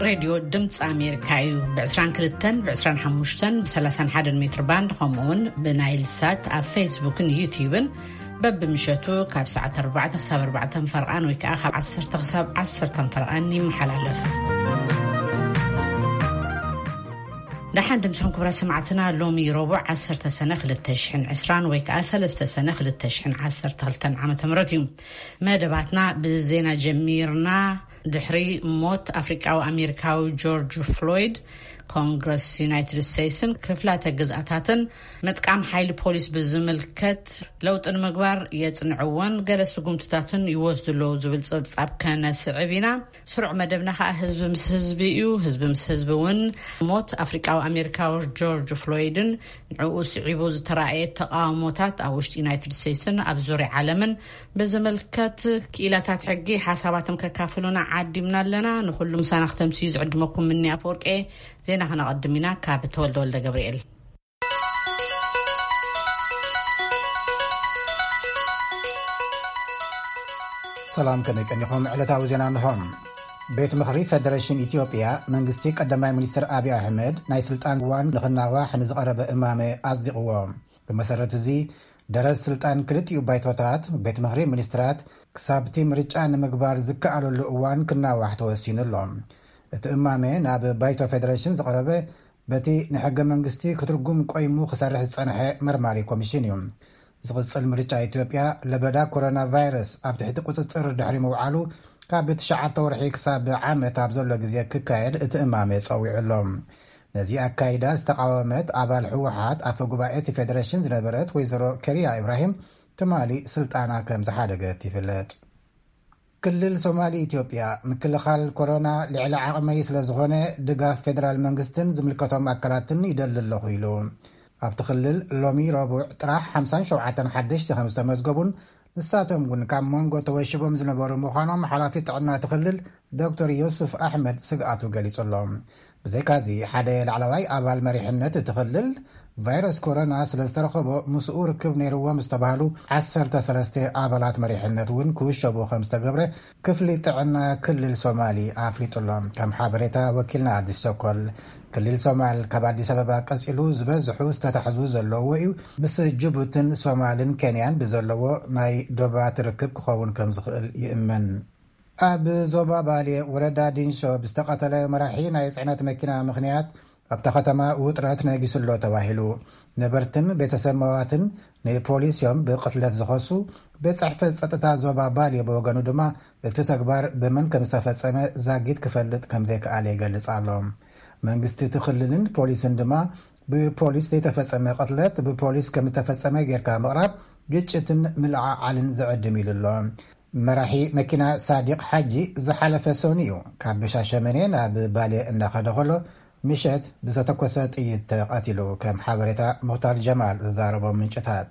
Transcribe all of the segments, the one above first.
ሬድዮ ድምፂ ኣሜሪካ እዩ። ብ22፣ ብ25፣ ብ31 ሜትር ባንድ፣ ከምኡውን ብናይል ሳት ኣብ ፌስቡክን ዩቲዩብን በብምሸቱ ካብ ሰዓት ኣርባዕተ ክሳብ ኣርባዕተ ፈርቓን ወይ ከዓ ካብ ዓሰርተ ክሳብ ዓሰርተ ፈርቓን ይመሓላለፍ። ደሓን ድምፅኹም ክብረ ሰማዕትና። ሎሚ ረቡዕ ዓሰርተ ሰነ ክልተ ሽሕን ዕስራን ወይ ከዓ ሰለስተ ሰነ ክልተ ሽሕን ዓሰርተ ክልተን ዓመተ ምህረት እዩ። መደባትና ብዜና ጀሚርና። ድሕሪ ሞት ኣፍሪቃዊ ኣሜሪካዊ ጆርጅ ፍሎይድ፣ ኮንግረስ ዩናይትድ ስቴትስን ክፍላተ ግዝኣታትን ምጥቃም ሓይሊ ፖሊስ ብዝምልከት ለውጢ ንምግባር የጽንዕዎን ገለ ስጉምትታትን ይወስዱ ኣለዉ ዝብል ጸብጻብ ከነስዕብ ኢና። ስሩዕ መደብና ከኣ ህዝቢ ምስ ህዝቢ እዩ። ህዝቢ ምስ ህዝቢ እውን ሞት ኣፍሪቃዊ ኣሜሪካዊ ጆርጅ ፍሎይድን ንዕኡ ስዒቡ ዝተራእየ ተቃውሞታት ኣብ ውሽጢ ዩናይትድ ስቴትስን ኣብ ዙርያ ዓለምን ብዝምልከት ክኢላታት ሕጊ ሓሳባቶም ከካፍሉና ዓዲምና ኣለና። ንኩሉ ምሳና ክተምስዩ ዝዕድመኩም ምኒ ኣፈወርቄ። ዜና ከነቐድም ኢና ካብ ተወልደ ወልደ ገብርኤል። ሰላም፣ ከመይ ቀኒኹም? ዕለታዊ ዜና እንሆ። ቤት ምኽሪ ፌደሬሽን ኢትዮጵያ፣ መንግስቲ ቀዳማይ ሚኒስትር ኣብይ ኣሕመድ ናይ ስልጣን ዋን ንኽናዋሕ ንዝቐረበ እማመ ኣጽዲቕዎ። ብመሰረት እዚ፣ ደረት ስልጣን ክልቲኡ ባይቶታት ቤት ምኽሪ ሚኒስትራት ክሳብቲ ምርጫ ንምግባር ዝከኣለሉ እዋን ክናዋሕ ተወሲኑ ኣሎ። እቲ እማመ ናብ ባይቶ ፌደሬሽን ዝቐረበ በቲ ንሕገ መንግስቲ ክትርጉም ቆይሙ ክሰርሕ ዝጸንሐ መርማሪ ኮሚሽን እዩ። ዝቕጽል ምርጫ ኢትዮጵያ ለበዳ ኮሮና ቫይረስ ኣብ ትሕቲ ቁጽጽር ድሕሪ ምውዓሉ፣ ካብ ትሽዓተ ወርሒ ክሳብ ዓመት ኣብ ዘሎ ግዜ ክካየድ እቲ እማመ ጸዊዑ ኣሎ። ነዚ ኣካይዳ ዝተቃወመት ኣባል ህወሓት ኣፈ ጉባኤ እቲ ፌደሬሽን ዝነበረት ወይዘሮ ከሪያ ኢብራሂም ትማሊ ስልጣና ከም ዝሓደገት ይፍለጥ። ክልል ሶማሊ ኢትዮጵያ፣ ምክልኻል ኮሮና ልዕሊ ዓቕመይ ስለ ዝኾነ፣ ድጋፍ ፌደራል መንግስትን ዝምልከቶም ኣካላትን ይደሊ ኣለኹ ኢሉ። ኣብቲ ክልል ሎሚ ረቡዕ ጥራሕ ሓምሳን ሸውዓተን ሓደሽቲ ከም ዝተመዝገቡን፣ ንሳቶም እውን ካብ መንጎ ተወሽቦም ዝነበሩ ምዃኖም ሓላፊ ጥዕና እቲ ክልል ዶክተር ዮሱፍ ኣሕመድ ስግኣቱ ገሊጹ ኣሎ። ብዘይካዚ፣ ሓደ ላዕለዋይ ኣባል መሪሕነት እቲ ክልል፣ ቫይረስ ኮሮና ስለ ዝተረኸቦ፣ ምስኡ ርክብ ነይርዎም ዝተባህሉ ዓሰርተ ሰለስተ ኣባላት መሪሕነት እውን ክውሸቡ ከም ዝተገብረ ክፍሊ ጥዕና ክልል ሶማሊ ኣፍሊጡ ኣሎ። ከም ሓበሬታ ወኪልና ኣዲስ ቸኮል፣ ክልል ሶማል ካብ ኣዲስ ኣበባ ቀጺሉ ዝበዝሑ ዝተታሕዙ ዘለዎ እዩ። ምስ ጅቡትን ሶማልን ኬንያን ብዘለዎ ናይ ዶባት ርክብ ክኸውን ከም ዝኽእል ይእመን። ኣብ ዞባ ባሌ ወረዳ ዲንሾ ብዝተቐተለ መራሒ ናይ ጽዕነት መኪና ምኽንያት ኣብታ ከተማ ውጥረት ነጊሱ ኣሎ ተባሂሉ። ነበርትን ቤተሰብ መዋትን ንፖሊስ እዮም ብቕትለት ዝኸሱ። ቤት ጽሕፈት ጸጥታ ዞባ ባሌ ብወገኑ ድማ እቲ ተግባር ብመን ከም ዝተፈጸመ ዛጊት ክፈልጥ ከም ዘይከኣለ ይገልጽ ኣሎ። መንግስቲ እቲ ክልልን ፖሊስን ድማ ብፖሊስ ዘይተፈጸመ ቅትለት ብፖሊስ ከም ዝተፈጸመ ጌርካ ምቕራብ ግጭትን ምልዕዓልን ዘዕድም ኢሉ ኣሎ። መራሒ መኪና ሳዲቕ ሓጂ ዝሓለፈ ሰኑይ እዩ ካብ ሻሸመኔ ናብ ባሌ እናኸደ ከሎ ምሸት ብዝተተኮሰ ጥይት ተቐቲሉ፣ ከም ሓበሬታ ሙኽታር ጀማል ዝዛረቦም ምንጭታት።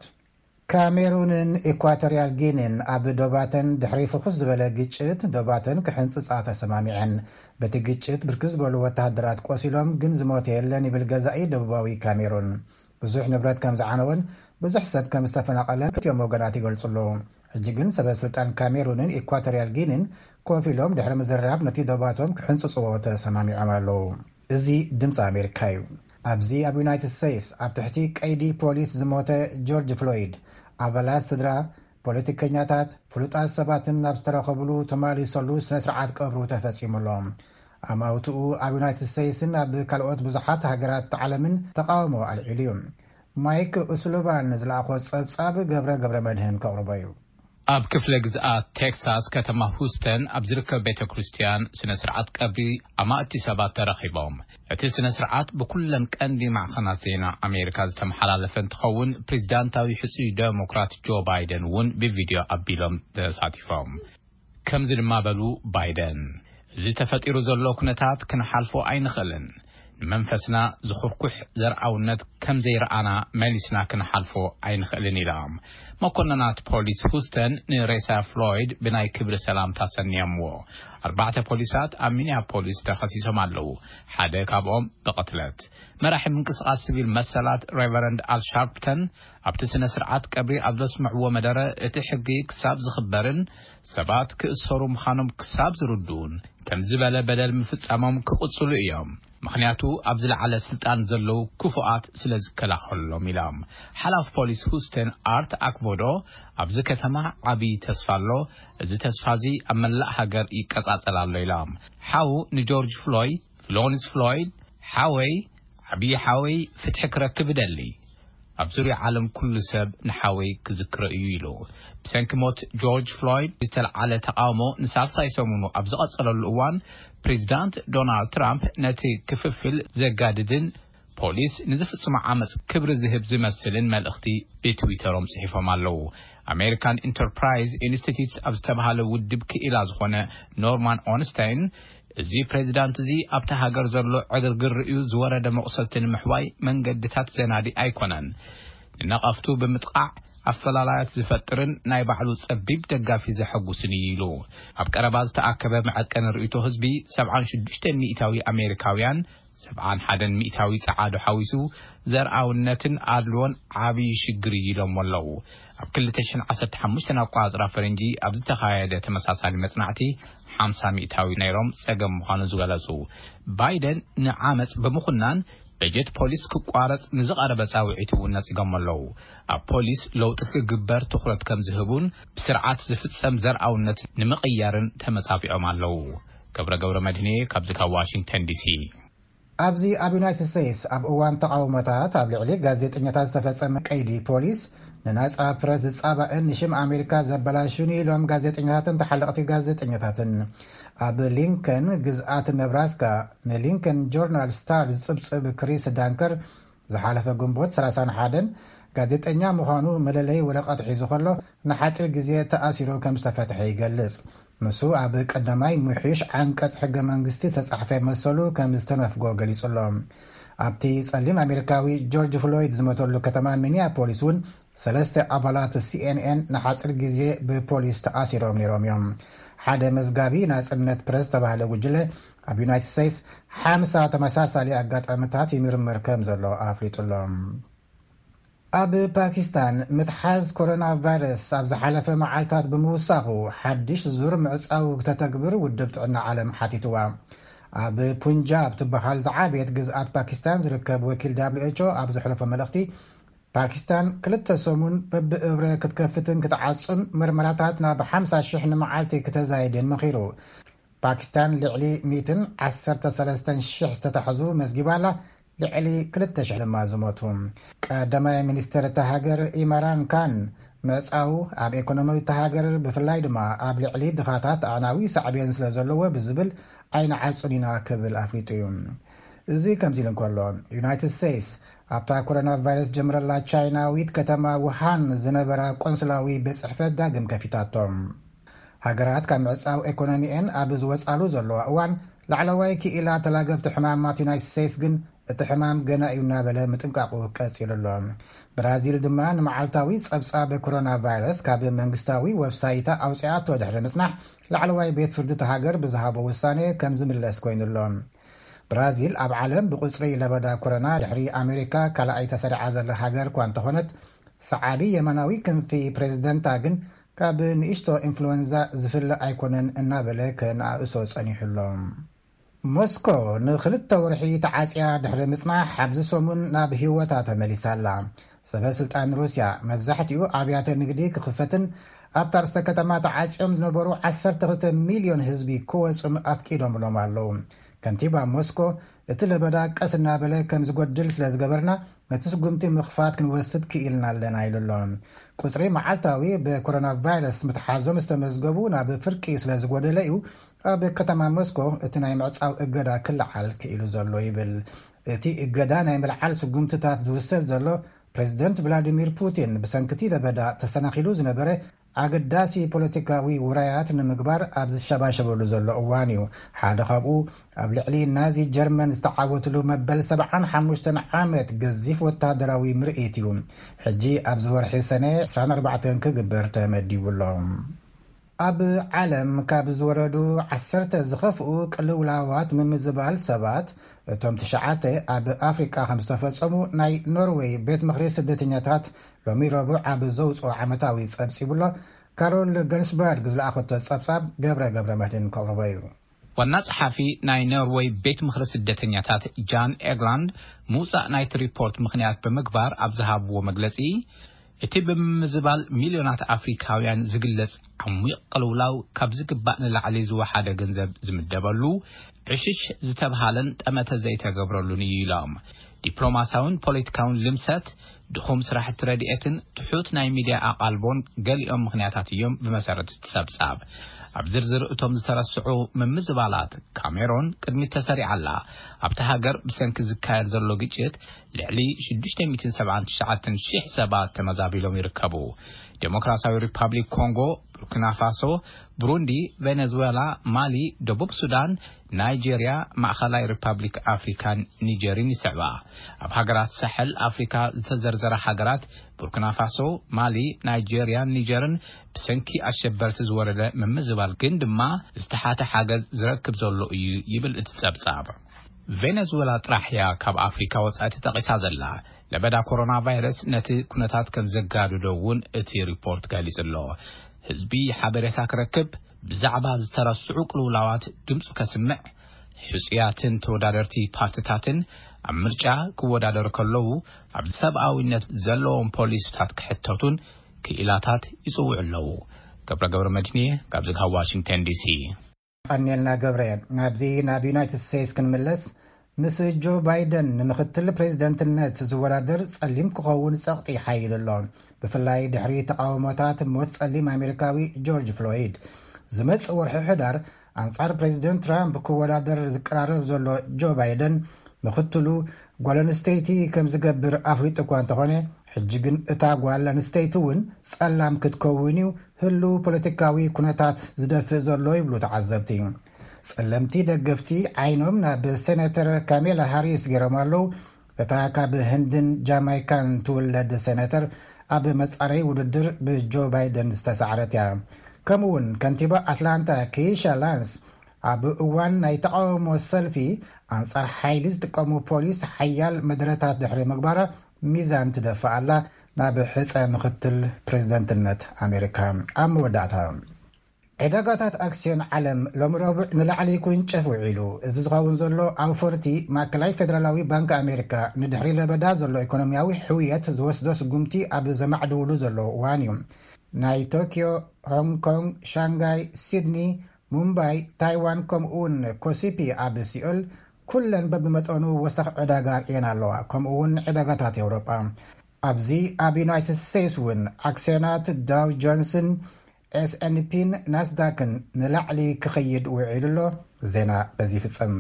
ካሜሩንን ኢኳቶሪያል ጊኒን ኣብ ዶባተን ድሕሪ ፍኹስ ዝበለ ግጭት ዶባተን ክሕንጽጻ ተሰማሚዐን። በቲ ግጭት ብርክት ዝበሉ ወተሃደራት ቆሲሎም፣ ግን ዝሞተ የለን ይብል ገዛኢ ደቡባዊ ካሜሩን። ብዙሕ ንብረት ከም ዝዓነወን ብዙሕ ሰብ ከም ዝተፈናቐለን ክልቲኦም ወገናት ይገልጹ ኣለዉ። ሕጂ ግን ሰበ ስልጣን ካሜሩንን ኢኳቶሪያል ጊኒን ኮፍ ኢሎም ድሕሪ ምዝርራብ ነቲ ዶባቶም ክሕንጽጽዎ ተሰማሚዖም ኣለዉ። እዚ ድምፂ ኣሜሪካ እዩ። ኣብዚ ኣብ ዩናይትድ ስቴትስ ኣብ ትሕቲ ቀይዲ ፖሊስ ዝሞተ ጆርጅ ፍሎይድ፣ ኣባላት ስድራ፣ ፖለቲከኛታት፣ ፍሉጣት ሰባትን ኣብ ዝተረኸብሉ ተማሊሰሉ ስነ ስርዓት ቀብሩ ተፈጺሙ ኣሎ። ኣማውትኡ ኣብ ዩናይትድ ስቴትስን ኣብ ካልኦት ብዙሓት ሃገራት ዓለምን ተቃውሞ ኣልዒሉ እዩ። ማይክ ኡስሉቫን ዝለኣኾ ጸብጻብ ገብረ ገብረ መድህን ከቕርቦ እዩ። ኣብ ክፍለ ግዝኣት ቴክሳስ ከተማ ሁስተን ኣብ ዝርከብ ቤተ ክርስቲያን ስነ ስርዓት ቀብሪ ኣማእቲ ሰባት ተረኺቦም። እቲ ስነ ስርዓት ብኩለን ቀንዲ ማዕኸናት ዜና ኣሜሪካ ዝተመሓላለፈ እንትኸውን፣ ፕሬዚዳንታዊ ሕጹይ ዴሞክራት ጆ ባይደን እውን ብቪድዮ ኣቢሎም ተሳቲፎም። ከምዚ ድማ በሉ ባይደን፣ እዚ ተፈጢሩ ዘሎ ኩነታት ክንሓልፎ ኣይንኽእልን። ንመንፈስና ዝኹርኩሕ ዘርኣውነት ከም ዘይረኣና መሊስና ክንሓልፎ ኣይንኽእልን ኢላ። መኮንናት ፖሊስ ሁስተን ንሬሳ ፍሎይድ ብናይ ክብሪ ሰላምታ ሰንዮምዎ። ኣርባዕተ ፖሊሳት ኣብ ሚኒያፖሊስ ተኸሲሶም ኣለዉ፣ ሓደ ካብኦም ብቕትለት። መራሒ ምንቅስቓስ ሲቪል መሰላት ሬቨረንድ ኣል ሻርፕተን ኣብቲ ስነ ስርዓት ቀብሪ ኣብ ዘስምዕዎ መደረ፣ እቲ ሕጊ ክሳብ ዝኽበርን ሰባት ክእሰሩ ምዃኖም ክሳብ ዝርድኡን ከም ዝበለ በደል ምፍጻሞም ክቕጽሉ እዮም። ምኽንያቱ ኣብ ዝለዓለ ስልጣን ዘለዉ ክፉኣት ስለ ዝከላኸሎም ኢሎም። ሓላፍ ፖሊስ ሁስቴን ኣርት ኣክቦዶ ኣብዚ ከተማ ዓብዪ ተስፋ ኣሎ። እዚ ተስፋ እዚ ኣብ መላእ ሃገር ይቀጻጸል ኣሎ ኢሎም። ሓው ንጆርጅ ፍሎይ፣ ፍሎንስ ፍሎይድ፣ ሓወይ፣ ዓብዪ ሓወይ ፍትሒ ክረክብ እደሊ። ኣብ ዙርያ ዓለም ኩሉ ሰብ ንሓወይ ክዝክሮ እዩ ኢሉ። ብሰንኪ ሞት ጆርጅ ፍሎይድ ዝተለዓለ ተቃውሞ ንሳልሳይ ሰሙኑ ኣብ ዝቐጸለሉ እዋን፣ ፕሬዚዳንት ዶናልድ ትራምፕ ነቲ ክፍፍል ዘጋድድን ፖሊስ ንዝፍጽሞ ዓመጽ ክብሪ ዝህብ ዝመስልን መልእኽቲ ብትዊተሮም ጽሒፎም ኣለዉ። ኣሜሪካን ኢንተርፕራይዝ ኢንስቲትዩትስ ኣብ ዝተባሃለ ውድብ ክኢላ ዝኾነ ኖርማን ኦንስታይን፣ እዚ ፕሬዚዳንት እዚ ኣብታ ሃገር ዘሎ ዕግርግር ርእዩ ዝወረደ መቑሰልቲ ንምሕዋይ መንገድታት ዘናዲ ኣይኮነን። ንነቐፍቱ ብምጥቓዕ ኣፈላላያት ዝፈጥርን ናይ ባዕሉ ጸቢብ ደጋፊ ዘሐጉስን እዩ ኢሉ። ኣብ ቀረባ ዝተኣከበ መዐቀኒ ርእይቶ ህዝቢ፣ ሰብዓን ሽዱሽተ ሚእታዊ ኣሜሪካውያን፣ ሰብዓን ሓደን ሚእታዊ ጸዓዱ ሓዊሱ፣ ዘርኣውነትን ኣድልዎን ዓብዪ ሽግር እዩ ኢሎሞ ኣለዉ። ኣብ ክልተ ሽሕን ዓሰርተ ሓሙሽተን ኣቆጻጽራ ፈረንጂ ኣብ ዝተኻየደ ተመሳሳሊ መጽናዕቲ፣ ሓምሳ ሚእታዊ ነይሮም ጸገም ምዃኑ ዝገለጹ። ባይደን ንዓመጽ ብምኹናን በጀት ፖሊስ ክቋረጽ ንዝቐረበ ጻውዒት እውን ነጺጎም ኣለዉ። ኣብ ፖሊስ ለውጢ ክግበር ትኹረት ከም ዝህቡን ብስርዓት ዝፍጸም ዘርኣውነት ንምቕያርን ተመጻቢዖም ኣለዉ። ገብረ ገብረ መድህኔ ካብዚ ካብ ዋሽንግተን ዲሲ። ኣብዚ ኣብ ዩናይትድ ስቴትስ ኣብ እዋን ተቓውሞታት ኣብ ልዕሊ ጋዜጠኛታት ዝተፈጸመ ቀይዲ ፖሊስ ንናጻ ፕረስ ዝጻባእን ንሽም ኣሜሪካ ዘበላሹን ኢሎም ጋዜጠኛታትን ተሓለቕቲ ጋዜጠኛታትን። ኣብ ሊንከን ግዝኣት ነብራስካ ንሊንከን ጆርናል ስታር ዝጽብጽብ ክሪስ ዳንከር ዝሓለፈ ግንቦት ሰላሳን ሓደን ጋዜጠኛ ምዃኑ መለለይ ወረቐት ሒዙ ከሎ ንሓጺር ግዜ ተኣሲሩ ከም ዝተፈትሐ ይገልጽ። ንሱ ኣብ ቀዳማይ ምሕሽ ዓንቀጽ ሕገ መንግስቲ ዝተጻሕፈ መሰሉ ከም ዝተነፍጎ ገሊጹ ኣሎ። ኣብቲ ጸሊም ኣሜሪካዊ ጆርጅ ፍሎይድ ዝሞተሉ ከተማ ሚኒያፖሊስ እውን ሰለስተ ኣባላት ሲኤንኤን ንሓጺር ግዜ ብፖሊስ ተኣሲሮም ነይሮም እዮም። ሓደ መዝጋቢ ናጽነት ፕረስ ዝተባህለ ጉጅለ ኣብ ዩናይትድ ስቴትስ ሓምሳ ተመሳሳሊ ኣጋጣሚታት ይምርምር ከም ዘሎ ኣፍሊጡ ኣሎ። ኣብ ፓኪስታን ምትሓዝ ኮሮና ቫይረስ ኣብ ዝሓለፈ መዓልታት ብምውሳኹ ሓድሽ ዙር ምዕጻው ክተተግብር ውድብ ጥዕና ዓለም ሓቲትዋ። ኣብ ፑንጃብ ትበሃል ዝዓበየት ግዝኣት ፓኪስታን ዝርከብ ወኪል ደብሊው ኤች ኦ ኣብ ዘሕለፎ መልእኽቲ፣ ፓኪስታን ክልተ ሰሙን በብእብረ ክትከፍትን ክትዓጹን መርመራታት ናብ ሓምሳ ሽሕ ንመዓልቲ ክተዛይድን መኺሩ። ፓኪስታን ልዕሊ ሚእትን ዓሰርተ ሰለስተን ሽሕ ዝተታሕዙ መዝጊባ ኣላ፣ ልዕሊ ክልተ ሽሕ ድማ ዝሞቱ። ቀዳማይ ሚኒስትር እታ ሃገር ኢምራን ካን ምዕጻው ኣብ ኢኮኖሚ እታ ሃገር ብፍላይ ድማ ኣብ ልዕሊ ድኻታት ኣዕናዊ ሳዕቤን ስለ ዘለዎ ብዝብል ኣይንዓጹን ኢና ክብል ኣፍሊጡ እዩ። እዚ ከምዚ ኢሉ እንከሎ፣ ዩናይትድ ስቴትስ ኣብታ ኮሮና ቫይረስ ጀምረላ ቻይናዊት ከተማ ውሃን ዝነበራ ቆንስላዊ ቤት ጽሕፈት ዳግም ከፊታቶም። ሃገራት ካብ ምዕጻው ኤኮኖሚኤን ኣብ ዝወጻሉ ዘለዋ እዋን፣ ላዕለዋይ ክኢላ ተላገብቲ ሕማማት ዩናይትድ ስቴትስ ግን እቲ ሕማም ገና እዩ እናበለ ምጥንቃቑ ቀጺሉ ኣሎ። ብራዚል ድማ ንመዓልታዊ ጸብጻብ ኮሮና ቫይረስ ካብ መንግስታዊ ወብሳይታ ኣውጺኣቶ ድሕሪ ምጽናሕ፣ ላዕለዋይ ቤት ፍርዲ እታ ሃገር ብዝሃቦ ውሳኔ ከም ዝምለስ ኮይኑ ኣሎ። ብራዚል ኣብ ዓለም ብቁጽሪ ለበዳ ኮሮና ድሕሪ ኣሜሪካ ካልኣይ ተሰሪዓ ዘላ ሃገር እኳ እንተኾነት፣ ሰዓቢ የማናዊ ክንፊ ፕሬዝደንታ ግን ካብ ንእሽቶ ኢንፍሉዌንዛ ዝፍለ ኣይኮነን እናበለ ከነኣእሶ ጸኒሑ ኣሎ። ሞስኮ ንኽልተ ወርሒ ተዓጽያ ድሕሪ ምጽናሕ፣ ኣብዚ ሰሙን ናብ ህይወታ ተመሊሳ ኣላ። ሰበ ስልጣን ሩስያ፣ መብዛሕትኡ ኣብያተ ንግዲ ክኽፈትን ኣብታ ርእሰ ከተማ ተዓጽዮም ዝነበሩ ዓሰርተ ክልተ ሚልዮን ህዝቢ ክወጹን ኣፍቂዶምሎም ኣለዉ። ከንቲባ ሞስኮ፣ እቲ ለበዳ ቀስ እናበለ ከም ዝጎድል ስለ ዝገበርና፣ ነቲ ስጉምቲ ምኽፋት ክንወስድ ክኢልና ኣለና ኢሉ ኣሎ። ቁጽሪ መዓልታዊ ብኮሮና ቫይረስ ምትሓዞም ዝተመዝገቡ ናብ ፍርቂ ስለ ዝጎደለ እዩ ኣብ ከተማ ሞስኮ እቲ ናይ ምዕጻው እገዳ ክለዓል ክኢሉ ዘሎ ይብል። እቲ እገዳ ናይ ምልዓል ስጉምትታት ዝውሰድ ዘሎ፣ ፕሬዚደንት ቭላዲሚር ፑቲን ብሰንኪ እቲ ለበዳ ተሰናኺሉ ዝነበረ ኣገዳሲ ፖለቲካዊ ውራያት ንምግባር ኣብ ዝሸባሸበሉ ዘሎ እዋን እዩ። ሓደ ካብኡ ኣብ ልዕሊ ናዚ ጀርመን ዝተዓወትሉ መበል ሰብዓን ሓሙሽተን ዓመት ገዚፍ ወታደራዊ ምርኢት እዩ። ሕጂ ኣብዚ ወርሒ ሰነ ዕስራን ኣርባዕተን ክግበር ተመዲቡ ኣሎ። ኣብ ዓለም ካብ ዝወረዱ ዓሰርተ ዝኸፍኡ ቅልውላዋት ምምዝባል ሰባት፣ እቶም ትሽዓተ ኣብ ኣፍሪቃ ከም ዝተፈጸሙ ናይ ኖርዌይ ቤት ምኽሪ ስደተኛታት ሎሚ ረቡዕ ኣብ ዘውፅኦ ዓመታዊ ጸብጺቡ ኣሎ። ካሮል ገንስበርግ ዝለኣኸቶ ጸብጻብ ገብረ ገብረ መድህን ከቕርቦ እዩ። ዋና ጸሓፊ ናይ ኖርዌይ ቤት ምኽሪ ስደተኛታት ጃን ኤግላንድ ምውጻእ ናይቲ ሪፖርት ምኽንያት ብምግባር ኣብ ዝሃብዎ መግለጺ፣ እቲ ብምምዝባል ሚልዮናት ኣፍሪካውያን ዝግለጽ ዓሚቕ ቅልውላው ካብ ዝግባእ ንላዕሊ ዝወሓደ ገንዘብ ዝምደበሉ፣ ዕሽሽ ዝተብሃለን ጠመተ ዘይተገብረሉን እዩ ኢሎም። ዲፕሎማሳውን ፖለቲካውን ልምሰት፣ ድኹም ስራሕቲ ረድኤትን ትሑት ናይ ሚድያ ኣቓልቦን ገሊኦም ምኽንያታት እዮም ብመሰረት እቲ ጸብጻብ። ኣብ ዝርዝር እቶም ዝተረስዑ ምምዝባላት፣ ካሜሮን ቅድሚት ተሰሪዓ ኣላ። ኣብታ ሃገር ብሰንኪ ዝካየድ ዘሎ ግጭት ልዕሊ ሽዱሽተ ሚእትን ሰብዓን ትሽዓተን ሽሕ ሰባት ተመዛቢሎም ይርከቡ። ዴሞክራሲያዊ ሪፓብሊክ ኮንጎ፣ ቡርኪና ፋሶ፣ ብሩንዲ፣ ቬኔዙዌላ፣ ማሊ፣ ደቡብ ሱዳን፣ ናይጄርያ፣ ማእኸላይ ሪፓብሊክ ኣፍሪካን ኒጀርን ይስዕባ። ኣብ ሃገራት ሳሕል ኣፍሪካ ዝተዘርዘራ ሃገራት ቡርኪና ፋሶ፣ ማሊ፣ ናይጄርያን ኒጀርን ብሰንኪ ኣሸበርቲ ዝወረደ ምምዝባል ግን ድማ ዝተሓተ ሓገዝ ዝረክብ ዘሎ እዩ ይብል እቲ ጸብጻብ። ቬነዙዌላ ጥራሕ እያ ካብ ኣፍሪካ ወጻኢ ተጠቒሳ ዘላ። ለበዳ ኮሮና ቫይረስ ነቲ ኩነታት ከም ዘጋድዶ እውን እቲ ሪፖርት ገሊጹ ኣሎ። ህዝቢ ሓበሬታ ክረክብ፣ ብዛዕባ ዝተረስዑ ቅልውላዋት ድምፁ ከስምዕ፣ ሕጹያትን ተወዳደርቲ ፓርቲታትን ኣብ ምርጫ ክወዳደሩ ከለዉ ኣብ ሰብኣዊነት ዘለዎም ፖሊሲታት ክሕተቱን ክኢላታት ይጽውዑ ኣለዉ። ገብረ ገብረ መድህን እየ ካብዚ ካብ ዋሽንግተን ዲሲ። ቀኒልና ገብረ። ናብዚ ናብ ዩናይትድ ስቴትስ ክንምለስ፣ ምስ ጆ ባይደን ንምክትል ፕሬዝደንትነት ዝወዳደር ጸሊም ክኸውን ጸቕጢ ሓይሉ ኣሎ። ብፍላይ ድሕሪ ተቃውሞታት ሞት ጸሊም ኣሜሪካዊ ጆርጅ ፍሎይድ። ዝመጽእ ወርሒ ሕዳር ኣንጻር ፕሬዝደንት ትራምፕ ክወዳደር ዝቀራረብ ዘሎ ጆ ባይደን፣ ምክትሉ ጓል ኣንስተይቲ ከም ዝገብር ኣፍሊጡ እኳ እንተኾነ፣ ሕጂ ግን እታ ጓል ኣንስተይቲ እውን ጸላም ክትከውን እዩ ህሉው ፖለቲካዊ ኩነታት ዝደፍእ ዘሎ ይብሉ ተዓዘብቲ። ጸለምቲ ደገፍቲ ዓይኖም ናብ ሴናተር ካሜላ ሃሪስ ገይሮም ኣለዉ። እታ ካብ ህንድን ጃማይካን ትውለድ ሴናተር ኣብ መጻረይ ውድድር ብጆ ባይደን ዝተሳዕረት እያ። ከምኡ እውን ከንቲባ ኣትላንታ ኬይሻ ላንስ ኣብ እዋን ናይ ተቃውሞ ሰልፊ ኣንጻር ሓይሊ ዝጥቀሙ ፖሊስ ሓያል መደረታት ድሕሪ ምግባራ ሚዛን ትደፍእ ኣላ ናብ ሕጸ ምክትል ፕሬዝደንትነት ኣሜሪካ። ኣብ መወዳእታ፣ ዕዳጋታት ኣክስዮን ዓለም ሎም ረቡዕ ንላዕሊ ክውንጨፍ ውዒሉ። እዚ ዝኸውን ዘሎ ኣውፈርቲ ማእከላይ ፌደራላዊ ባንክ ኣሜሪካ ንድሕሪ ለበዳ ዘሎ ኢኮኖሚያዊ ሕውየት ዝወስዶ ስጉምቲ ኣብ ዘማዕድውሉ ዘሎ እዋን እዩ። ናይ ቶኪዮ፣ ሆንግ ኮንግ፣ ሻንጋይ፣ ሲድኒ፣ ሙምባይ፣ ታይዋን፣ ከምኡውን ኮሲፒ ኣብ ሲኦል ኩለን በብመጠኑ ወሰኽ ዕዳጋ ኣርእየን ኣለዋ። ከምኡውን ዕዳጋታት ኤውሮጳ። ኣብዚ ኣብ ዩናይትድ ስቴትስ እውን ኣክስዮናት ዳው ጆንስን ኤስኤንፒን ናስዳክን ንላዕሊ ክኸይድ ውዒሉ ኣሎ። ዜና በዚ ይፍጸም።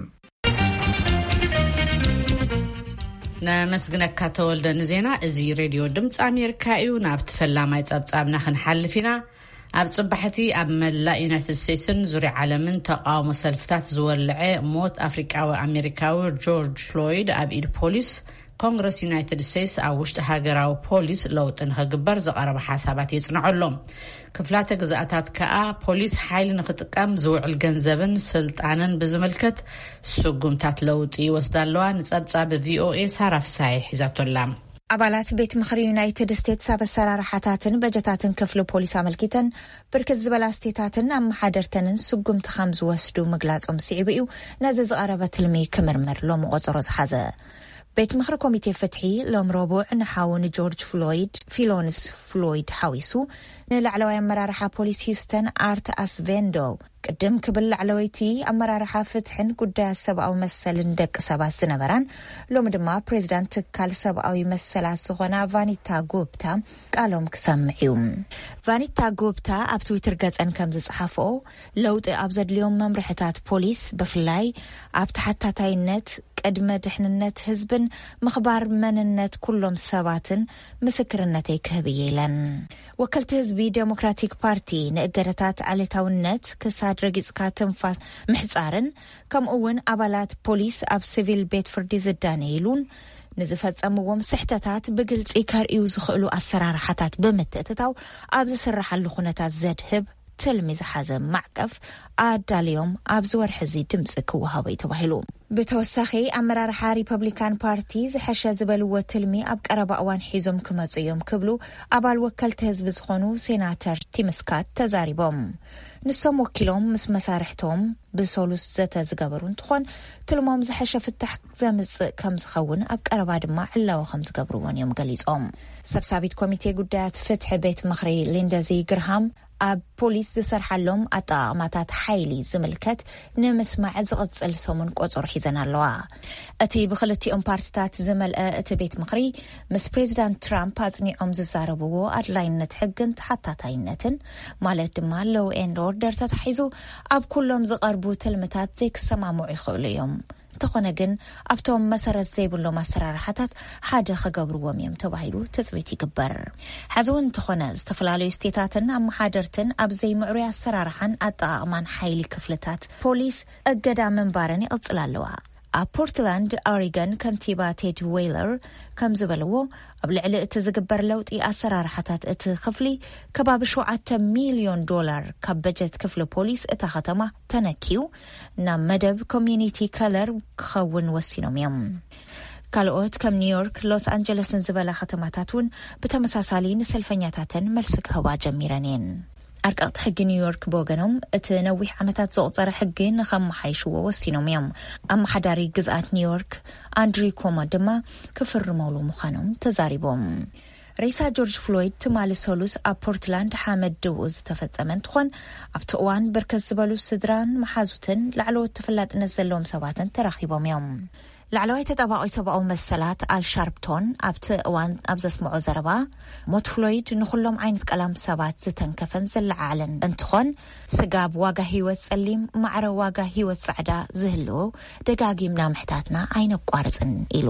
ነመስግነካ ተወልደ ንዜና። እዚ ሬድዮ ድምፂ ኣሜሪካ እዩ። ናብቲ ፈላማይ ጸብጻብና ክንሓልፍ ኢና። ኣብ ጽባሕቲ ኣብ መላእ ዩናይትድ ስቴትስን ዙርያ ዓለምን ተቃውሞ ሰልፍታት ዝወልዐ ሞት ኣፍሪቃዊ ኣሜሪካዊ ጆርጅ ፍሎይድ ኣብ ኢድ ፖሊስ፣ ኮንግረስ ዩናይትድ ስቴትስ ኣብ ውሽጢ ሃገራዊ ፖሊስ ለውጢ ንኽግበር ዝቐረበ ሓሳባት የጽንዖ ኣሎ። ክፍላተ ግዝኣታት ከኣ ፖሊስ ሓይሊ ንኽጥቀም ዝውዕል ገንዘብን ስልጣንን ብዝምልከት ስጉምታት ለውጢ ይወስዳ ኣለዋ። ንጸብጻብ ቪኦኤ ሳራ ፍሳሐ ሒዛቶ ኣላ። ኣባላት ቤት ምኽሪ ዩናይትድ ስቴትስ ኣብ ኣሰራርሓታትን በጀታትን ክፍሊ ፖሊስ ኣመልኪተን ብርክት ዝበላ ስቴታትን ኣመሓደርተንን ስጉምቲ ከም ዝወስዱ ምግላጾም ስዒቡ እዩ ነዚ ዝቐረበ ትልሚ ክምርምር ሎሚ ቆጸሮ ዝሓዘ። ቤት ምኽሪ ኮሚቴ ፍትሒ ሎም ረቡዕ ንሓው ንጆርጅ ፍሎይድ፣ ፊሎንስ ፍሎይድ ሓዊሱ፣ ንላዕለዋይ ኣመራርሓ ፖሊስ ሂውስተን ኣርት ኣስቬንዶ፣ ቅድም ክብል ላዕለወይቲ ኣመራርሓ ፍትሕን ጉዳያት ሰብኣዊ መሰልን ደቂ ሰባት ዝነበራን ሎሚ ድማ ፕሬዚዳንት ትካል ሰብኣዊ መሰላት ዝኾና ቫኒታ ጉፕታ ቃሎም ክሰምዕ እዩ። ቫኒታ ጉፕታ ኣብ ትዊተር ገጸን ከም ዝጸሓፍኦ፣ ለውጢ ኣብ ዘድልዮም መምርሕታት ፖሊስ፣ ብፍላይ ኣብ ተሓታታይነት፣ ቅድመ ድሕንነት ህዝብን ምኽባር መንነት ኩሎም ሰባትን ምስክርነተይ ክህብ እየ ኢለን። ወከልቲ ህዝቢ ዴሞክራቲክ ፓርቲ ንእገዳታት ዓሌታውነት ክሳድ ረጊጽካ ትንፋስ ምሕጻርን ከምኡ እውን ኣባላት ፖሊስ ኣብ ሲቪል ቤት ፍርዲ ዝዳነይሉን ንዝፈጸምዎም ስሕተታት ብግልጺ ከርእዩ ዝኽእሉ ኣሰራርሓታት ብምትእትታው ኣብ ዝስራሓሉ ኩነታት ዘድህብ ትልሚ ዝሓዘ ማዕቀፍ ኣዳልዮም ኣብዚ ወርሒ እዚ ድምፂ ክወሃቦ እዩ ተባሂሉ። ብተወሳኺ ኣመራርሓ ሪፐብሊካን ፓርቲ ዝሐሸ ዝበልዎ ትልሚ ኣብ ቀረባ እዋን ሒዞም ክመፁ እዮም ክብሉ ኣባል ወከልቲ ህዝቢ ዝኾኑ ሴናተር ቲም ስካት ተዛሪቦም። ንሶም ወኪሎም ምስ መሳርሕቶም ብሰሉስ ዘተ ዝገበሩ እንትኾን ትልሞም ዝሐሸ ፍታሕ ዘምፅእ ከም ዝኸውን ኣብ ቀረባ ድማ ዕላዊ ከም ዝገብርዎን እዮም ገሊፆም። ሰብሳቢት ኮሚቴ ጉዳያት ፍትሒ ቤት ምኽሪ ሊንደዚ ግርሃም ኣብ ፖሊስ ዝሰርሓሎም ኣጠቓቕማታት ሓይሊ ዝምልከት ንምስማዕ ዝቕጽል ሰሙን ቆጸሮ ሒዘን ኣለዋ። እቲ ብክልቲኦም ፓርትታት ዝመልአ እቲ ቤት ምኽሪ ምስ ፕሬዚዳንት ትራምፕ ኣጽኒዖም ዝዛረብዎ ኣድላይነት ሕግን ተሓታታይነትን ማለት ድማ ሎው ኤንድ ኦርደር ተታሒዙ ኣብ ኩሎም ዝቐርቡ ትልምታት ዘይክሰማምዑ ይኽእሉ እዮም። እንተኾነ ግን ኣብቶም መሰረት ዘይብሎም ኣሰራርሓታት ሓደ ክገብርዎም እዮም ተባሂሉ ትጽቢት ይግበር። ሕዚ እውን እንተኾነ ዝተፈላለዩ ስቴታትን ኣመሓደርትን ኣብ ዘይምዕሩይ ኣሰራርሓን ኣጠቓቕማን ሓይሊ ክፍልታት ፖሊስ እገዳ ምንባረን ይቕጽላ ኣለዋ። ኣብ ፖርትላንድ ኦሪገን ከንቲባ ቴድ ዌይለር ከም ዝበልዎ ኣብ ልዕሊ እቲ ዝግበር ለውጢ ኣሰራርሓታት እቲ ክፍሊ ከባቢ ሸውዓተ ሚልዮን ዶላር ካብ በጀት ክፍሊ ፖሊስ እታ ከተማ ተነኪዩ ናብ መደብ ኮሚዩኒቲ ከለር ክኸውን ወሲኖም እዮም። ካልኦት ከም ኒውዮርክ ሎስ ኣንጀለስን ዝበላ ከተማታት እውን ብተመሳሳሊ ንሰልፈኛታተን መልሲ ክህባ ጀሚረን እየን። ኣርቀቕቲ ሕጊ ኒውዮርክ ብወገኖም እቲ ነዊሕ ዓመታት ዘቑፀረ ሕጊ ንኸመሓይሽዎ ወሲኖም እዮም። ኣመሓዳሪ ግዝኣት ኒውዮርክ ኣንድሪ ኮሞ ድማ ክፍርመሉ ምዃኖም ተዛሪቦም። ሬሳ ጆርጅ ፍሎይድ ትማሊ ሰሉስ ኣብ ፖርትላንድ ሓመድ ድብኡ ዝተፈጸመ እንትኾን ኣብቲ እዋን ብርከት ዝበሉ ስድራን መሓዙትን ላዕለዎት ተፈላጥነት ዘለዎም ሰባትን ተራኺቦም እዮም። ላዕለዋይ ተጣባቒ ሰብኣዊ መሰላት ኣል ሻርፕቶን ኣብቲ እዋን ኣብ ዘስምዖ ዘረባ ሞት ፍሎይድ ንኹሎም ዓይነት ቀላም ሰባት ዝተንከፈን ዘለዓዓለን እንትኾን ስጋብ ዋጋ ህይወት ጸሊም ማዕረ ዋጋ ህይወት ጻዕዳ ዝህልዎ ደጋጊምና ምሕታትና ኣይነቋርጽን ኢሉ።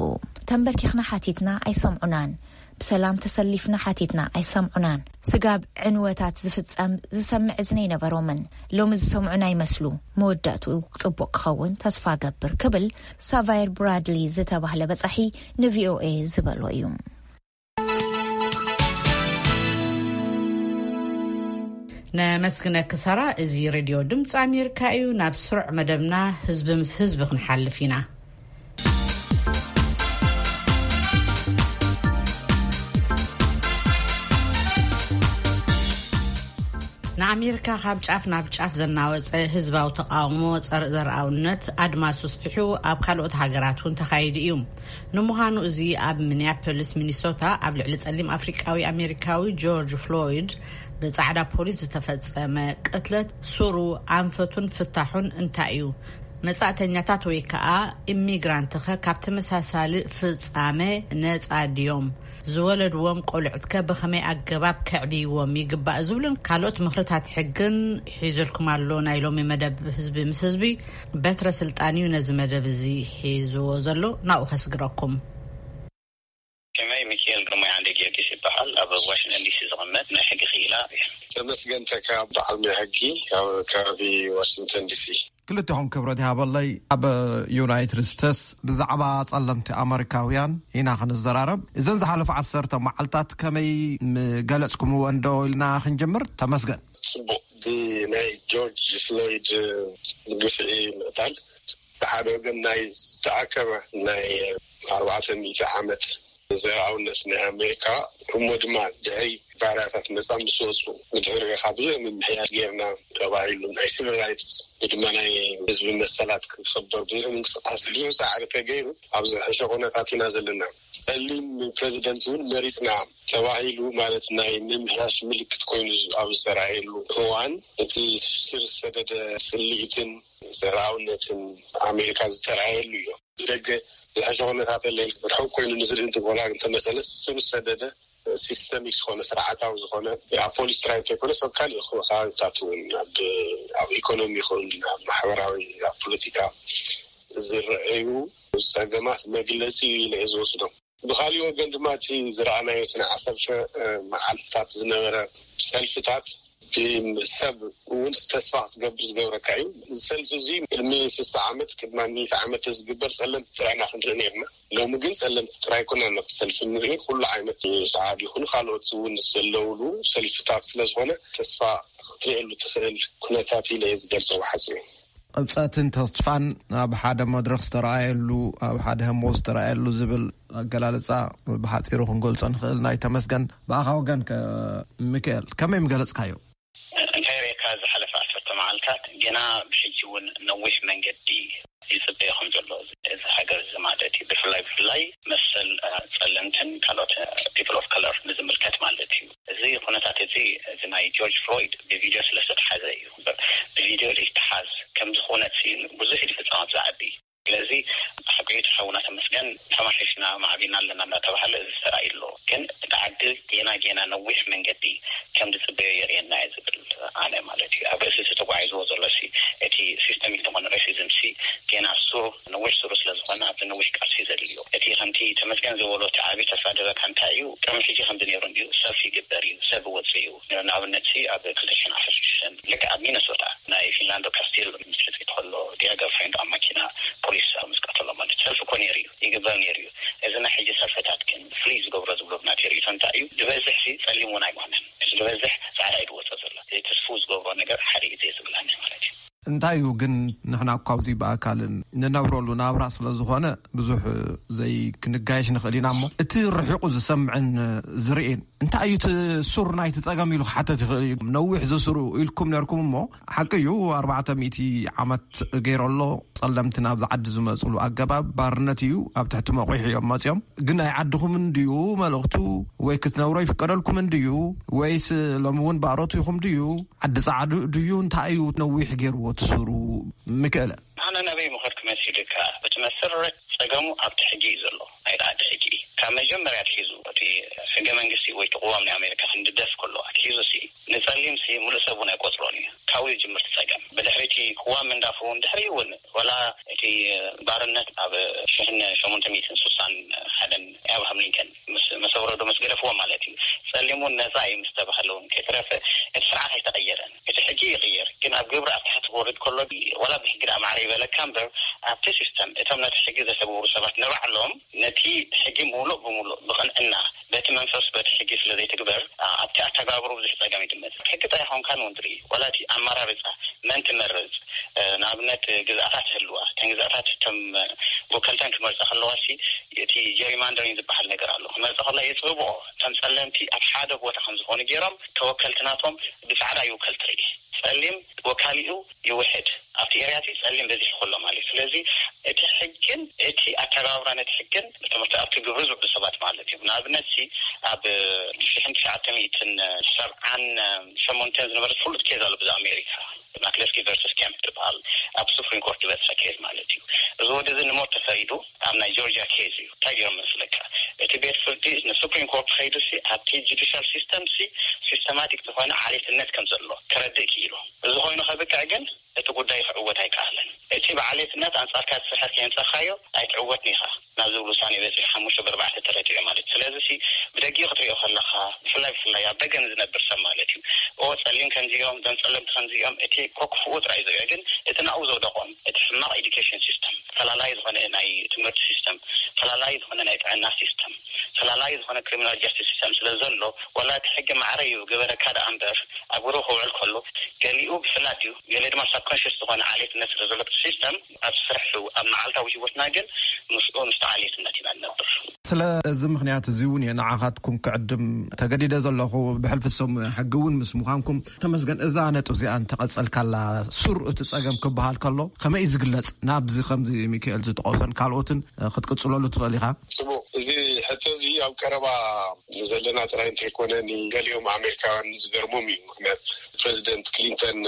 ተንበርኪኽና ሓቲትና ኣይሰምዑናን። ብሰላም ተሰሊፍና ሓቲትና ኣይሰምዑናን። ስጋብ ዕንወታት ዝፍጸም ዝሰምዕ እዝኒ ኣይነበሮምን። ሎሚ ዝሰምዑና ይመስሉ። መወዳእትኡ ጽቡቕ ክኸውን ተስፋ ገብር ክብል ሳቫየር ብራድሊ ዝተባህለ በጻሒ ንቪኦኤ ዝበሎ እዩ። ነመስግነኪ ሳራ። እዚ ሬድዮ ድምፂ ኣሜሪካ እዩ። ናብ ስሩዕ መደብና ህዝቢ ምስ ህዝቢ ክንሓልፍ ኢና። ንኣሜሪካ ካብ ጫፍ ናብ ጫፍ ዘናወጸ ህዝባዊ ተቓውሞ ጸረ ዘርኣውነት ኣድማሱ ስፊሑ ኣብ ካልኦት ሃገራት እውን ተኻይዱ እዩ። ንምዃኑ እዚ ኣብ ሚኒያፖሊስ ሚኒሶታ ኣብ ልዕሊ ጸሊም ኣፍሪቃዊ ኣሜሪካዊ ጆርጅ ፍሎይድ ብጻዕዳ ፖሊስ ዝተፈጸመ ቅትለት ሱሩ ኣንፈቱን ፍታሑን እንታይ እዩ? መጻእተኛታት ወይ ከኣ ኢሚግራንትኸ ካብ ተመሳሳሊ ፍጻመ ነጻ ድዮም? ዝወለድዎም ቆልዑትከ ብኸመይ ኣገባብ ከዕብይዎም ይግባእ? ዝብሉን ካልኦት ምኽርታት ሕግን ሒዙልኩም ኣሎ። ናይ ሎሚ መደብ ህዝቢ ምስ ህዝቢ በትረ ስልጣን እዩ ነዚ መደብ እዚ ሒዝዎ ዘሎ። ናብኡ ከስግረኩም። ሽመይ ሚኪኤል ግርማይ ዓንደ ጊዮርጊስ ይበሃል። ኣብ ዋሽንግተን ዲሲ ዝቕመጥ ናይ ሕጊ ክኢላ እየ። ተመስገን ተካ በዓል ናይ ሕጊ ካብ ከባቢ ዋሽንግተን ዲሲ። ክልተኹም ክብረት ይሃበለይ። ኣብ ዩናይትድ ስቴትስ ብዛዕባ ጸለምቲ ኣመሪካውያን ኢና ክንዘራረብ። እዘን ዝሓለፈ ዓሰርተ መዓልታት ከመይ ምገለጽኩምዎ እንዶ ኢልና ክንጅምር። ተመስገን። ጽቡቕ። ብናይ ጆርጅ ፍሎይድ ግፍዒ ምቕታል ብሓደ ወገን ናይ ዝተኣከበ ናይ ኣርባዕተ ሚእቲ ዓመት ዘርኣውነት ናይ ኣሜሪካ እሞ ድማ ድሕሪ ባርያታት ነጻ ምስ ወጹ ብድሕሪ ኢኻ ብዙሕ ምምሕያሽ ጌርና ተባሂሉ ናይ ሲቪል ራይትስ ወይ ድማ ናይ ህዝቢ መሰላት ክኽበር ብዙሕ ምንቅስቃስ ብዙሕ ጻዕሪ ተገይሩ ኣብ ዝሕሸ ኩነታት ኢና ዘለና። ጸሊም ፕሬዚደንት እውን መሪጽና ተባሂሉ ማለት ናይ ምምሕያሽ ምልክት ኮይኑ ኣብ ዝተራእየሉ እዋን እቲ ስር ዝሰደደ ጽልኢትን ዘርኣውነትን ኣሜሪካ ዝተራእየሉ እዩ። ደገ ዝሕሸ ኩነታት የለን። ርሑቕ ኮይኑ ንዝርኢ እንተኾና እንተመሰለስ ስር ዝሰደደ ሲስተሚክ ዝኾነ ስርዓታዊ ዝኾነ ኣብ ፖሊስ ጥራይ እንተይኮነስ ኣብ ካሊእ ከባቢታት እውን ኣብ ኢኮኖሚ ይኹን ኣብ ማሕበራዊ ኣብ ፖለቲካ ዝረኣዩ ጸገማት መግለጺ እዩ ኢለ እየ ዝወስዶ። ብኻሊእ ወገን ድማ እቲ ዝረኣናዮ እቲ ናይ ዓሰርተ መዓልትታት ዝነበረ ሰልፍታት፣ ሰብ እውን ተስፋ ክትገብር ዝገብረካ እዩ። እዚ ሰልፊ እዚ ቅድሚ ስሳ ዓመት፣ ቅድሚ ሚእቲ ዓመት ዝግበር ጸለምቲ ጥራይና ክንርኢ ነርና። ሎሚ ግን ጸለምቲ ጥራይ ኮና ነቲ ሰልፊ ንርኢ። ኩሉ ዓይነት ሰዓብ ይኹን ካልኦት እውን ዘለውሉ ሰልፍታት ስለ ዝኾነ፣ ተስፋ ክትርእየሉ ትኽእል ኩነታት ኢለ እየ ዝገልጾ ብሓጺሩ። ቅብጸትን ተስፋን ኣብ ሓደ መድረኽ ዝተረኣየሉ፣ ኣብ ሓደ ህሞት ዝተረኣየሉ ዝብል ኣገላልጻ ብሓጺሩ ክንገልጾ ንኽእል። ናይ ተመስገን፣ ብኣኻ ወገን ከ? ሚካኤል፣ ከመይ ምገለጽካዮ? እንታይ ሬካ ዝሓለፈ ዓሰርተ መዓልታት፣ ገና ብሕጂ እውን ነዊሕ መንገዲ ይጽበዮ ከም ዘሎ እዚ ሃገር እዚ ማለት እዩ። ብፍላይ ብፍላይ መሰል ጸለምትን ካልኦት ፒፕል ኦፍ ከለር ንዝምልከት ማለት እዩ። እዚ ኩነታት እዚ፣ እዚ ናይ ጆርጅ ፍሎይድ ብቪድዮ ስለ ዝተተሓዘ እዩ። ብቪድዮ ዘይተሓዝ ከም ዝኾነት ብዙሕ ኢድ ፍጻማት ዝዓቢ። ስለዚ ሓቂ እቲ ሓውና ተመስገን፣ ተማሒሽና ማዕቢና ኣለና እናተባሃለ እዚ ተራእዩ ኣሎ። ግን እቲ ዓዲ ጌና ጌና ነዊሕ መንገዲ ከም ዝጽበዮ የርእየና እዩ ዝብል ኣነ ማለት እዩ። ኣብ ርእሲ እቲ ተጓዒዝዎ ዘሎ ሲ እቲ ሲስተሚክ ዝኾነ ሬሲዝም ሲ ጌና ሱር፣ ነዊሕ ሱሩ ስለ ዝኾነ ኣብዚ ነዊሕ ቃልሲ ዘድልዮ። እቲ ከምቲ ተመስገን ዝበሎ እቲ ዓቢ ተስፋ ደበካ እንታይ እዩ? ቅድሚ ሕጂ ከምዚ ነይሩ እንድዩ፣ ሰልፊ ይግበር እዩ፣ ሰብ ይወጽእ እዩ። ንኣብነት ሲ ኣብ ክልተ ሽሕን ዓሰርተ ሽዱሽተን ልክዕ ኣብ ሚነሶታ ናይ ፊንላንዶ ካስቴል ምስ ሕጽ ከሎ ዲያ ገርፍሬንድ ኣብ ማኪና ፖሊስ ኣብ ምስቃ ከሎ ማለት ሰልፊ እኮ ነይሩ እዩ፣ ይግበር ነይሩ እዩ። እዚ ናይ ሕጂ ሰልፍታት ግን ፍሉይ ዝገብሮ ዝብሎ ናተይ ርእይቶ እንታይ እዩ? ዝበዝሕ ሲ ጸሊም እውን ኣይኮነን። እቲ ዝበዝሕ ጻዕዳ እዩ ዝወጽእ ዘሎ። እዚ ትስፉ ዝገብሮ ነገር ሓደ እዩ ዘይ ዝብላኒ ማለት እዩ። እንታይ እዩ ግን ንሕና እኳ ኣብዚ ብኣካልን ንነብረሉ ናብራ ስለ ዝኾነ ብዙሕ ዘይክንጋየሽ ንኽእል ኢና እሞ እቲ ርሒቑ ዝሰምዕን ዝርእን እንታይ እዩ እቲ ሱር ናይቲ ጸገም ኢሉ ክሓተት ይኽእል እዩ። ነዊሕ ዝስሩ ኢልኩም ነርኩም እሞ ሓቂ እዩ ኣርባዕተ ሚእቲ ዓመት ገይሩ ኣሎ። ጸለምቲ ናብዚ ዓዲ ዝመጽሉ ኣገባብ ባርነት እዩ። ኣብ ትሕቲ መቑሕ እዮም መጽዮም። ግን ናይ ዓድኹም እንድዩ መልእኽቱ ወይ ክትነብሮ ይፍቀደልኩም እንድዩ ወይስ ሎሚ እውን ባሮት ኢኹም ድዩ? ዓዲ ጻዕዱ ድዩ? እንታይ እዩ ነዊሕ ገይርዎ እቲ ሱሩ? ሚካኤለ። ኣነ ናበይ ምኸድኩ መሲልካ? እቲ መሰረት ጸገሙ ኣብቲ ሕጊ እዩ ዘሎ፣ ናይ ዓዲ ሕጊ። ካብ መጀመርያ ኣትሒዙ እቲ ሕገ መንግስቲ ወይ እቲ ቅዋም ናይ ኣሜሪካ ክንድደፍ ከሎ ኣትሒዙ ሲ ንጸሊም ሲ ሙሉእ ሰብ እውን ኣይቆጽሮን እዩ። ካብኡ ይጅምር እቲ ጸገም። ብድሕሪ እቲ ቅዋም ምንዳፉ እውን ድሕሪ እውን ዋላ እቲ ባርነት ኣብ ሽሕን ሸሞንተ ሚእትን ስሳን ሓደን ኣብርሃም ሊንከን ምስ መሰ ወረዶ ምስ ገደፍዎ ማለት እዩ። ጸሊም እውን ነጻ እዩ ምስ ተባህለ እውን ከይተረፈ እቲ ስርዓት ኣይተቐየረን። እቲ ሕጊ ይቕየር፣ ግን ኣብ ግብሪ ኣብ ታሕቲ ክወርድ ከሎ ዋላ ብሕጊ ደኣ ማዕረ ይበለካ እምበር ኣብቲ ሲስተም እቶም ነቲ ሕጊ ዘተግብሩ ሰባት ንባዕሎም ነቲ ሕጊ ምሉእ ብምሉእ ብቕንዕና በቲ መንፈስ በቲ ሕጊ ስለ ዘይትግበር ኣብቲ ኣተጋብሩ ብዙሕ ጸገም ይድመጽ። ሕጊ ጥራይ ኾንካ ንውን ትርኢ ዋላ እቲ ኣመራርጻ መን ትመርጽ ንኣብነት ግዝኣታት ህልዋ እተን ግዝኣታት እቶም ወከልተን ክመርጻ ከለዋ ሲ እቲ ጀሪማንደሪንግ ዝበሃል ነገር ኣሎ። ክመርጻ ከለዋ የጽብብኦ። እቶም ጸለምቲ ኣብ ሓደ ቦታ ከም ዝኾኑ ገይሮም ተወከልቲ ናቶም ብጻዕዳ ይውከል ትርኢ። ጸሊም ወካሊኡ ይውሕድ ኣብቲ ኤርያ እቲ ጸሊም በዚሑ ከሎ ማለት እዩ። ስለዚ እቲ ሕግን እቲ ኣተገባብራ ነቲ ሕግን ትምህርቲ ኣብቲ ግብሪ ዝውዕሉ ሰባት ማለት እዩ። ንኣብነት ሲ ኣብ ሽሕን ትሽዓተ ሚእትን ሰብዓን ሸሞንተን ዝነበረ ፍሉጥ ኬዝ ኣሎ ብዛ ኣሜሪካ ማክለስኪ ቨርሰስ ኬምፕ ትበሃል ኣብ ሱፕሪም ኮርት ዝበፅሐ ኬዝ ማለት እዩ። እዚ ወዲ እዚ ንሞት ተፈሪዱ ኣብ ናይ ጆርጂያ ኬዝ እዩ። እንታይ ገይሮም መስለካ? እቲ ቤት ፍርዲ ንሱፕሪም ኮርት ከይዱ ሲ ኣብቲ ጁዲሻል ሲስተም ሲ ሲስተማቲክ ዝኾነ ዓሌትነት ከም ዘሎ ከረድእ ክኢሉ። እዚ ኮይኑ ከብቅዕ ግን እቲ ጉዳይ ክዕወት ኣይከኣለን። እቲ ብዓሌትነት ኣንጻርካ ዝስሕር ከየምጻኻዮ ኣይትዕወትን ኢኻ ናብ ዝብል ውሳኔ በጺሑ ሓሙሽተ ብኣርባዕተ ተረቲዑ ማለት እዩ። ስለዚ ሲ ብደጊኡ ክትሪኦ ከለኻ ብፍላይ ብፍላይ ኣብ ደገ ንዝነብር ሰብ ማለት እዩ ኦ ጸሊም ከምዚኦም ዞም ጸለምቲ ከምዚኦም እቲ ኮክፍኡ ጥራይ ዝሪኦ ግን እቲ ናብኡ ዘውደቖም እቲ ሕማቕ ኤዱኬሽን ሲስተም ፈላላይ ዝኾነ ናይ ትምህርቲ ሲስተም ፈላላይ ዝኾነ ናይ ጥዕና ሲስተም ፈላላይ ዝኾነ ክሪሚናል ጃስቲስ ሲስተም ስለ ዘሎ ዋላ እቲ ሕጊ ማዕረ እዩ ገበረካ ደኣ እምበር ኣብ ግብሪ ክውዕል ከሎ ገሊኡ ብፍላጥ እዩ ገለ ድማ ሳብኮንሽስ ዝኾነ ዓሌትነት ስለ ዘሎ እቲ ሲስተም ኣብ ስራሕ ኣብ መዓልታዊ ህይወትና ግን ምስኡ ምስቲ ዓሌትነት ኢና ንነብር። ስለ እዚ ምኽንያት እዚ እውን እየ ንዓኻትኩም ክዕድም ተገዲደ ዘለኹ። ብሕልፊ ሰብ ሙያ ሕጊ እውን ምስ ምዃንኩም ተመስገን። እዛ ነጥብ እዚኣ እንተቐጸልካላ ሱር እቲ ጸገም ክበሃል ከሎ ከመይ እዩ ዝግለጽ? ናብዚ ከምዚ ሚካኤል ዝጠቐሶን ካልኦትን ክትቅጽለሉ ትኽእል ኢኻ። ጽቡቕ፣ እዚ ሕቶ እዚ ኣብ ቀረባ ዘለና ጥራይ እንተይኮነ ንገሊኦም ኣሜሪካውያን ዝገርሞም እዩ። ምክንያቱ ፕሬዚደንት ክሊንተን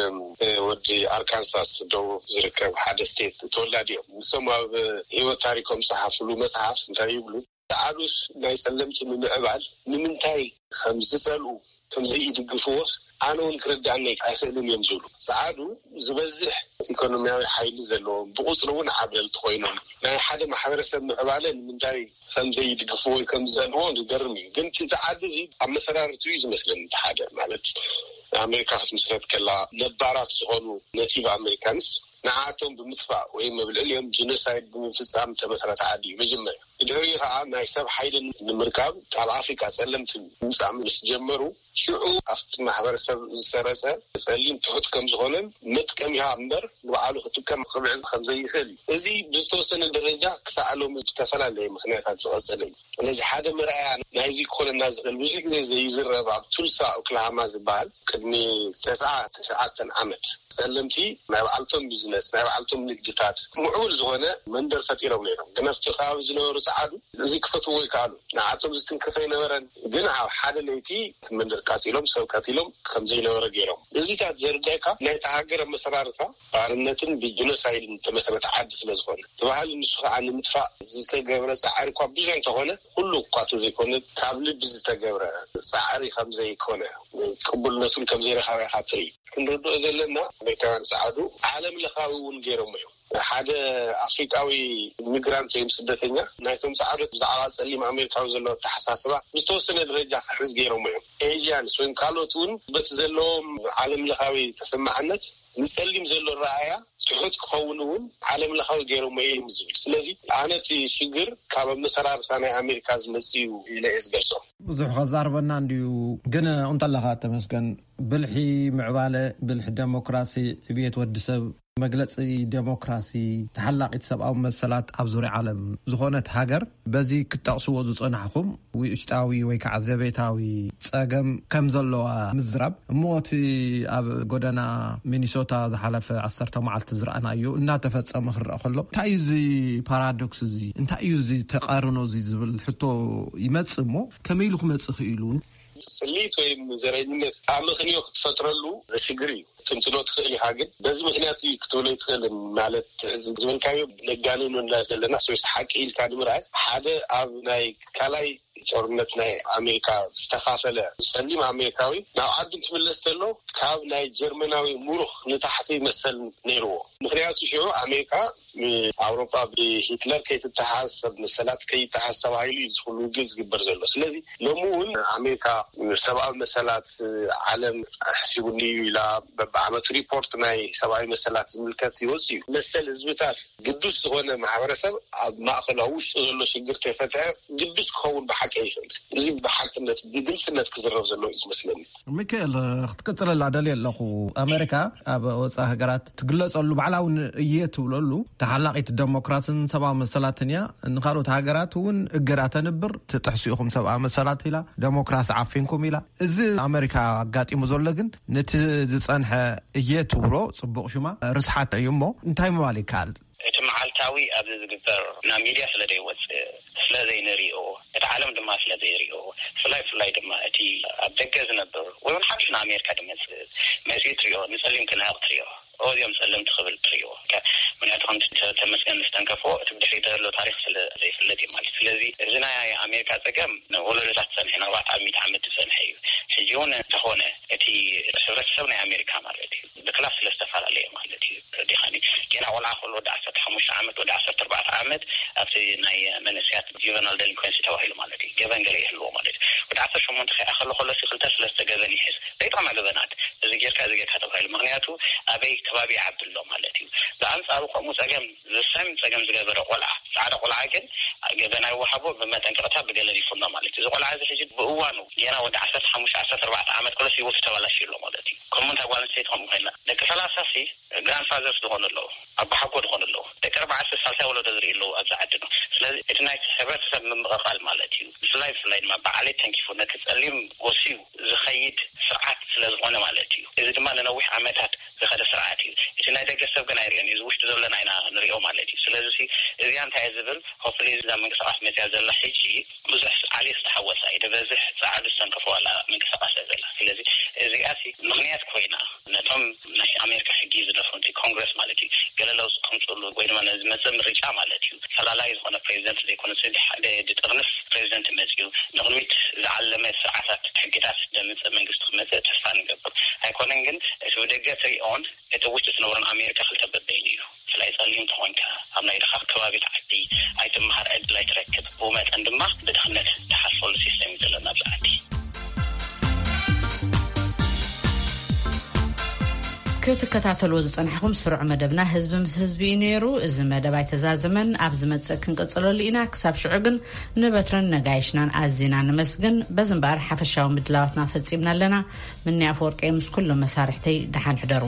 ወዲ ኣርካንሳስ ደቡብ ዝርከብ ሓደ ስቴት ተወላዲ እዮም። ንሶም ኣብ ህይወት ታሪኮም ዝጸሓፍሉ መጽሓፍ እንታይ ይብሉ? ጻዕዱስ ናይ ጸለምቲ ንምዕባል ንምንታይ ከም ዝጸልኡ ከምዚ ይድግፍዎስ ኣነ እውን ክርዳእኒ ኣይኽእልን እዮም ዝብሉ። ጸዓዱ ዝበዝሕ ኢኮኖሚያዊ ሓይሊ ዘለዎም፣ ብቑጽሪ እውን ዓብለልቲ ኮይኖም፣ ናይ ሓደ ማሕበረሰብ ምዕባለ ንምንታይ ከም ዘይድግፍዎ ወይ ከም ዝጸልዎ ዝገርም እዩ። ግን እቲ ጸዓዲ እዚ ኣብ መሰራርቱ እዩ ዝመስለኒ። እቲ ሓደ ማለት ኣሜሪካ ክትምስረት ከላ ነባራት ዝኾኑ ነቲቭ ኣሜሪካንስ ንዓቶም ብምጥፋእ ወይ ኣብ ልዕሊኦም ጀኖሳይድ ብምፍጻም ተመስረተ ዓዲ እዩ መጀመርያ። ብድሕሪኡ ከዓ ናይ ሰብ ሓይልን ንምርካብ ካብ ኣፍሪካ ጸለምቲ ምምጻእ ምስ ጀመሩ፣ ሽዑ ኣብቲ ማሕበረሰብ ዝሰረጸ ጸሊም ትሑት ከም ዝኾነን መጥቀሚያ እምበር ንባዕሉ ክጥቀም ክብዕል ከም ዘይኽእል እዩ። እዚ ብዝተወሰነ ደረጃ ክሳዕ ሎሚ ብዝተፈላለየ ምኽንያታት ዝቐጸለ እዩ። ስለዚ ሓደ መርኣያ ናይዚ ክኾነና ዝኽእል ብዙሕ ግዜ ዘይዝረብ ኣብ ቱልሳ ኦክላሃማ ዝበሃል ቅድሚ ተስዓ ትሽዓተን ዓመት ጸለምቲ ናይ ባዕልቶም ቢዝነስ፣ ናይ ባዕልቶም ንግድታት፣ ምዕቡል ዝኾነ መንደር ፈጢሮም ነይሮም። ግን ኣብቲ ከባቢ ዝነበሩ ጸዓዱ እዚ ክፈትዎ ይከኣሉ። ንዓቶም ዝትንክፍ ኣይነበረን። ግን ኣብ ሓደ ለይቲ መንደር ቃጺሎም ሰብ ቀቲሎም ከም ዘይነበረ ገይሮም። እዚታት ዘርዳይካ ናይቲ ሃገር ኣመሰራርታ ባርነትን ብጂኖሳይድን ዝተመስረተ ዓዲ ስለ ዝኾነ። እቲ ባህሊ ንሱ ከዓ ንምጥፋእ ዝተገብረ ጻዕሪ እኳ ብዙሕ እንተኾነ፣ ኩሉ እኳ እንተዘይኮነ ካብ ልቢ ዝተገብረ ጻዕሪ ከም ዘይኮነ፣ ቅቡልነቱን ከም ዘይረኸበ ኢኻ ትርኢ። ክንርድኦ ዘለና ኣሜሪካውያን ጸዓዱ ዓለም ለኻዊ እውን ገይሮም እዮም። ሓደ ኣፍሪቃዊ ኢሚግራንት ወይም ስደተኛ ናይቶም ጻዕዶት ብዛዕባ ጸሊም ኣሜሪካዊ ዘለዎ ኣተሓሳስባ ብዝተወሰነ ደረጃ ክሕዝ ገይሮም እዮም። ኤዥያንስ ወይም ካልኦት እውን በቲ ዘለዎም ዓለም ለኻዊ ተሰማዕነት ንጸሊም ዘሎ ረኣያ ትሑት ክኸውን እውን ዓለም ለኻዊ ገይሮም እዮም ዝብል። ስለዚ ኣነ እቲ ሽግር ካብ ኣመሰራርታ ናይ ኣሜሪካ ዝመጽእ እዩ ኢለ እየ ዝገልጾ። ብዙሕ ከዛርበና እንድዩ፣ ግን እንተለኻ ተመስገን ብልሒ ምዕባለ፣ ብልሒ ደሞክራሲ፣ ዕብየት ወዲ ሰብ፣ መግለጺ ደሞክራሲ፣ ተሓላቒት ሰብኣዊ መሰላት ኣብ ዙርያ ዓለም ዝኾነት ሃገር፣ በዚ ክትጠቕስዎ ዝጸናሕኩም ውሽጣዊ ወይ ከዓ ዘቤታዊ ጸገም ከም ዘለዋ ምዝራብ። እሞ እቲ ኣብ ጎደና ሚኒሶታ ዝሓለፈ ዓሰርተ መዓልቲ ዝረኣናዮ እናተፈጸመ ክረአ ከሎ፣ እንታይ እዩ እዚ ፓራዶክስ እዚ? እንታይ እዩ እዚ ተቃርኖ እዚ ዝብል ሕቶ ይመጽእ። እሞ ከመይ ኢሉ ክመጽእ ክኢሉ? ጽልኢት ወይም ዘረኝነት ኣመክንዮ ክትፈጥረሉ ዘሽግር እዩ። ትንትኖ ትኽእል ኢኻ፣ ግን በዚ ምኽንያት እዩ ክትብሎ ኣይትኽእልን። ማለት፣ እዚ ዝበልካዮ ነጋንኖ እንዳ ዘለና፣ ሰብስ ሓቂ ኢልካ ንምርኣይ፣ ሓደ ኣብ ናይ ካልኣይ ጦርነት ናይ ኣሜሪካ ዝተኻፈለ ጸሊም ኣሜሪካዊ ናብ ዓዱ እንትምለስ ከሎ፣ ካብ ናይ ጀርመናዊ ሙሩኽ ንታሕቲ መሰል ነይርዎ። ምኽንያቱ ሽዑ ኣሜሪካ ኣውሮጳ ብሂትለር ከይትተሓዝ፣ ሰብ መሰላት ከይተሓዝ ተባሂሉ እዩ እዚ ኩሉ ውግእ ዝግበር ዘሎ። ስለዚ ሎሚ እውን ኣሜሪካ ሰብኣዊ መሰላት ዓለም ኣሕሲቡኒ እዩ ኢላ በብዓመቱ ሪፖርት ናይ ሰብኣዊ መሰላት ዝምልከት ይወጽእ እዩ። መሰል ህዝብታት ግዱስ ዝኾነ ማሕበረሰብ ኣብ ማእከሉ ኣብ ውሽጡ ዘሎ ሽግር ተይፈትሐ ግዱስ ክኸውን ብሓቂ ኣይኽእል። እዚ ብሓቅነት ብግልጽነት ክዝረብ ዘለዎ እዩ ዝመስለኒ። ሚካኤል፣ ክትቅጽለላ ደልየ ኣለኹ። ኣሜሪካ ኣብ ወጻኢ ሃገራት ትግለጸሉ ባዕላውን እየ ትብለሉ ተሓላቒት ደሞክራስን ሰብኣዊ መሰላትን እያ። ንኻልኦት ሃገራት እውን እገዳ ተንብር፣ ትጥሕሱ ኢኹም ሰብኣዊ መሰላት ኢላ፣ ደሞክራሲ ዓፊንኩም ኢላ። እዚ ኣሜሪካ ኣጋጢሙ ዘሎ ግን ነቲ ዝጸንሐ እየ ትብሎ ጽቡቕ ሽማ ርስሓት እዩ። እሞ እንታይ ምባል ይከኣል? እቲ መዓልታዊ ኣብዚ ዝግበር ናብ ሚድያ ስለ ዘይወፅእ፣ ስለ ዘይንሪኦ፣ እቲ ዓለም ድማ ስለ ዘይሪኦ፣ ብፍላይ ብፍላይ ድማ እቲ ኣብ ደገ ዝነብር ወይ እውን ሓድሽ ንኣሜሪካ ዝመፅእ መፂኡ ትሪኦ፣ ንፀሊም ክነዕቕ ትሪኦ፣ ኦ እዚኦም ፀለምቲ ክብል ትሪኦ። ከ-፣ ምክንያቱ ከምቲ ተ-፣ ተመስገን ዝተንከፎ እቲ ብድሕሪት ዘሎ ታሪክ ስለ ዘይፍለጥ እዩ ማለት። ስለዚ እዚ ናይ ኣሜሪካ ፀገም ንወለዶታት ዝፀንሐ፣ ንኣርባዕተ ሚእቲ ዓመት ዝፀንሐ እዩ። ሕጂ እውን እንተኾነ እቲ ሕብረተሰብ ናይ ኣሜሪካ ማለት እዩ ብክላስ ስለ ዝተፈላለየ ማለት እዩ። ረዲኻኒ ጌና ቆልዓ ከሎ ወዲ ዓሰርተ ሓሙሽተ ዓመት፣ ወዲ ዓሰርተ ኣርባዕተ ዓመት ኣብቲ ናይ መንእሰያት ጁቨናል ደሊንኮንሲ ተባሂሉ ማለት እዩ። ገበን ገለ ይህልዎ ማለት እዩ። ወዲ ዓሰርተ ሸሞንተ ከይኣኸሎ ከሎ ሲ ክልተ ስለስተ ገበን ይሕዝ። ዘይጠቕማ ገበናት፣ እዚ ጌርካ፣ እዚ ጌርካ ተባሂሉ። ምክንያቱ ኣበይ ከባቢ ይዓቢ ኣሎ ማለት እዩ። ብኣንጻሩ ከምኡ ጸገም፣ ዘሳሚ ጸገም ዝገበረ ቆልዓ፣ ጻዕዳ ቆልዓ ግን ገበን ኣይወሃቦ፣ ብመጠንቀቕታ ብገለ ይፍኖ ማለት እዩ። እዚ ቆልዓ እዚ ሕጂ ብእዋኑ ጌና ወዲ ዓሰርተ ሓሙሽተ ዓሰርተ ኣርባዕተ ዓመት ከሎስ ህይወቱ ተባላሽዩ ኣሎ ማለት እዩ። ከምኡ እንታይ ጓል ኣንስተይቲ ከምኡ ኮይና፣ ደቂ ሰላሳ ሲ ግራንድፋዘርስ ዝኾኑ ኣለዉ፣ ኣቦሓጎ ዝኾኑ ኣለዉ፣ ደቂ ኣርባዕተ ሳልሳይ ወለዶ ዝርኢ ኣለዉ ኣብዚ ዓድና። ስለዚ እቲ ናይ ሕብረተሰብ ምምቕቓል ማለት እዩ። ብፍላይ ብፍላይ ድማ ብዓሌት ተንኪፉ ነቲ ጸሊም ጎስዩ ዝኸይድ ስርዓት ስለ ዝኾነ ማለት እዩ። እዚ ድማ ንነዊሕ ዓመታት ዝኸደ ስርዓት እዩ። እቲ ናይ ደገ ሰብ ግን ኣይሪኦን እዩ፣ እዚ ውሽጢ ዘለና ኢና ንሪኦ ማለት እዩ። ስለዚ እዚ እዚኣ እንታይ እየ ዝብል፣ ኮፍሊ እዛ ምንቅስቃስ መፅያ ዘላ ሕጂ ብዙሕ ዓሌት ዝተሓወሳ እዩ፣ ንበዝሕ ፃዓዱ ዝተንከፈዋላ ምንቅስቃስ እያ ዘላ። ስለዚ እዚኣ ምክንያት ኮይና ነቶም ናይ ኣሜሪካ ሕጊ ዝደፍሩ፣ ኮንግረስ ማለት እዩ፣ ገለ ለውጢ ከምፅሉ ወይ ድማ ነዚ መፅእ ምርጫ ማለት እዩ፣ ፈላላይ ዝኾነ ፕሬዚደንት ዘይኮነ፣ ሓደ ድጥርንፍ ፕሬዚደንት መፅዩ ንቅድሚት ዝዓለመ ስርዓታት ሕግታት ደምፅእ መንግስቲ ክመፅእ ተስፋ ንገብር። ኣይኮነን ግን እቲ ብደገ ትሪኦን እቲ ውሽጢ ትነብሮን ኣሜሪካ ክልተ በበይኑ እዩ። ብፍላይ ጸሊም ተኾንካ ኣብ ናይ ድኻ ከባቢት ዓዲ ኣይትመሃር፣ ዕድል ኣይትረክብ፣ ብኡ መጠን ድማ ብድኽነት ትሓልፈሉ ሲስተም እዩ ዘለና ኣብዚ ዓዲ። ክትከታተልዎ ዝጸናሕኹም ስሩዕ መደብና ህዝቢ ምስ ህዝቢ እዩ ነይሩ። እዚ መደብ ኣይተዛዘመን። ኣብ ዝመጽእ ክንቅጽለሉ ኢና። ክሳብ ሽዑ ግን ንበትረን ነጋይሽናን ኣዚና ንመስግን። በዚ እምበኣር ሓፈሻዊ ምድላዋትና ፈጺምና ኣለና። ምኒ ኣፈወርቂ ምስ ኩሎም መሳርሕተይ ደሓን ሕደሩ።